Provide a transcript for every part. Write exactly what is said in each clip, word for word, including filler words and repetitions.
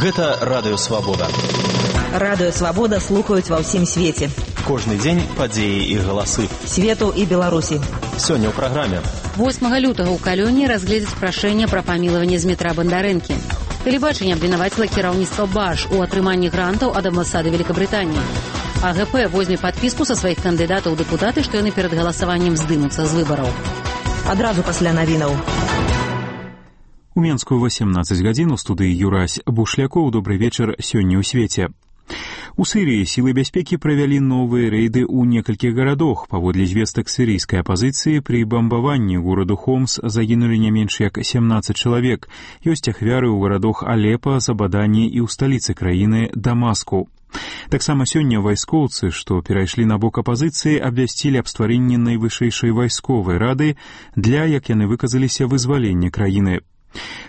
Гэта Радыё Свабода. Радыё Свабода слухаюць ва ўсім свеце. Кожны дзень падзеі і галасы. Свету і Беларусі. Сёння ў праграме. восьмага лютага ў Калёне разгледзяць прашэнне пра памілаванне Змітра Бандарэнкі. Тэлебачанне абвінаваціла кіраўніцтва БАШ у атрыманні грантаў ад амбасады Великабрытаніі. АГП возьме падпіску са сваіх кандыдатаў у дэпутаты, што яны перад галасаваннем здымуцца з выбараў. Адразу пасля навінаў. У Менску восемнадцать гадзін у студыі Юрась Бушлякоў. Добрый вечар сёння ў свеце. У Сырыі сілы бяспекі правялі новыя рэйды ў некалькіх гарадах. Паводле звестак сірыйскай апазіцыі, пры бамбаванні гораду Хомс загінулі не менш як семнадцать чалавек. Ёсць ахвяры ў гарадах Алепа, Забадані і ў сталіцы краіны Дамаску. Таксама сёння вайскоўцы, што перайшлі на бок апазіцыі, абвясцілі аб стварэнні найвышэйшай вайсковай рады для, як яны выказаліся, вызвалення краіны.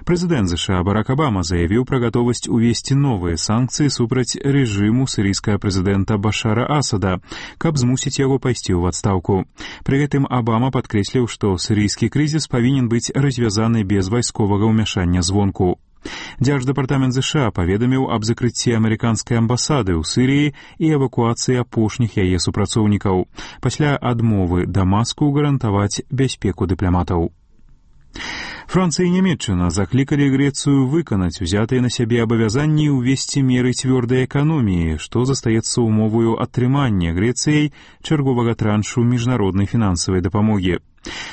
Прэзідэнт ЗША Барак Абама заявіў пра гатовасць увесці новыя санкцыі супраць рэжыму сірыйскага прэзідэнта Башара Асада, каб змусіць яго пайсці ў адстаўку. Пры гэтым Абама падкрэсліў, што сірыйскі крызіс павінен быць развязаны без вайсковага ўмяшання звонку. Дзярждэпартамент ЗША паведаміў аб закрыцці амерыканскай амбасады ў Сырыі і эвакуацыі апошніх яе супрацоўнікаў, пасля адмовы Дамаску гарантаваць бяспеку дыпламатаў. Францыя і Нямецчына заклікалі Грэцыю выканаць узятыя на сябе абавязанні і ўвесці меры цвёрдай эканоміі, што застаецца ўмоваю атрымання Грэцыяй чарговага траншу міжнароднай фінансавай дапамогі.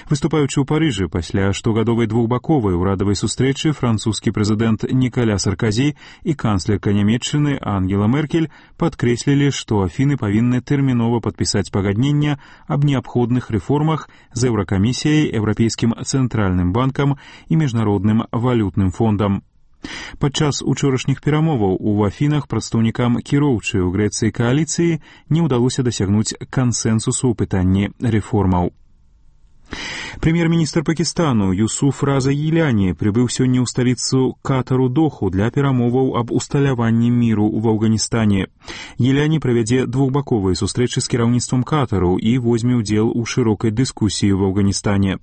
Выступаючы ў Парыжы пасля штогадовай двухбаковай урадавай сустрэчы, французскі прэзідэнт Нікаля Сарказі і канцлерка Нямецчыны Ангела Меркель падкрэслілі, што Афіны павінны тэрмінова падпісаць пагаднення аб неабходных рэформах з Еўракамісіяй, Еўрапейскім цэнтральным банкам і міжнародным валютным фондам. Падчас учорашніх перамоваў у Афінах прадстаўнікам кіроўчай у Грэцыі кааліцыі не ўдалося дасягнуць кансэнсусу ў пытанні рэформаў. Прэм'ер-міністр Пакістану Юсуф Раза Гіляні прыбыў сёння ў сталіцу Катару Доху для перамоваў аб усталяванні міру ў Афганістане. Гіляні правядзе двухбаковыя сустрэчы з кіраўніцтвам Катару і возьме ўдзел у шырокай дыскусіі ў Афганістане.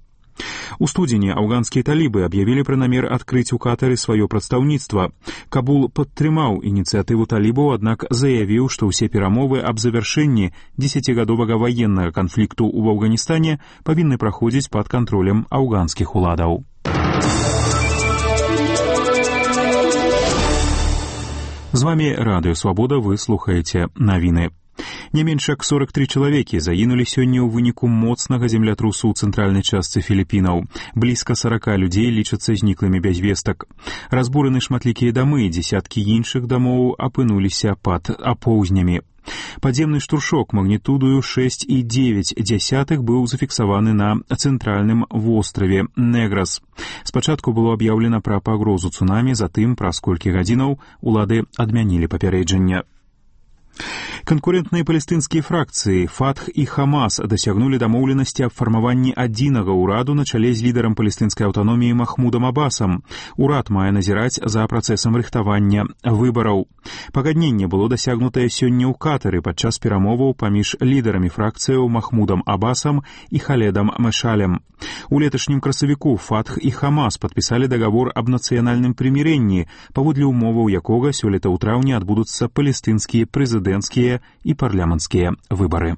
У студзені афганскія талібы аб'явілі пра намер адкрыць у Катары сваё прадстаўніцтва. Кабул падтрымаў ініцыятыву талібаў, аднак заявіў, што ўсе перамовы аб завяршэнні дзесяцігадовага ваеннага канфлікту ў Афганістане павінны праходзіць пад кантролем афганскіх уладаў. З вамі Радыё Свабода, вы слухаеце навіны. Не менш як сорок тры чалавекі загінулі сёння ў выніку моцнага землятрусу ў цэнтральнай частцы Філіпінаў. Блізка сорока людзей лічацца зніклымі без вестак. Разбураны шматлікія дамы, дзесяткі іншых дамоў апынуліся пад апоўзнямі. Падземны штуршок магнітудою шэсць і дзевяць дзясятых быў зафіксаваны на цэнтральным востраве Неграс. Спачатку было аб'яўлена пра пагрозу цунамі, затым праз колькі гадзінаў улады адмянілі папярэджання. Канкурентныя палестынскія фракцыі Фатх і Хамас дасягнулі дамоўленасці аб фармаванні адзінага ўраду на чале з лідарам палестынскай аўтаноміі Махмудам Абасам. Урад мае назіраць за працэсам рыхтавання выбараў. Пагадненне было дасягнутае сёння ў Катары падчас перамоваў паміж лідарамі фракцыяў Махмудам Абасам і Халедам Мэшалем. У леташнім красавіку Фатх і Хамас падпісалі дагавор аб нацыянальным прымірэнні, паводле ўмоваў якога сёлета ў траўні адбудуцца палестынскія прэзідэнцкія і парламенцкія выбары.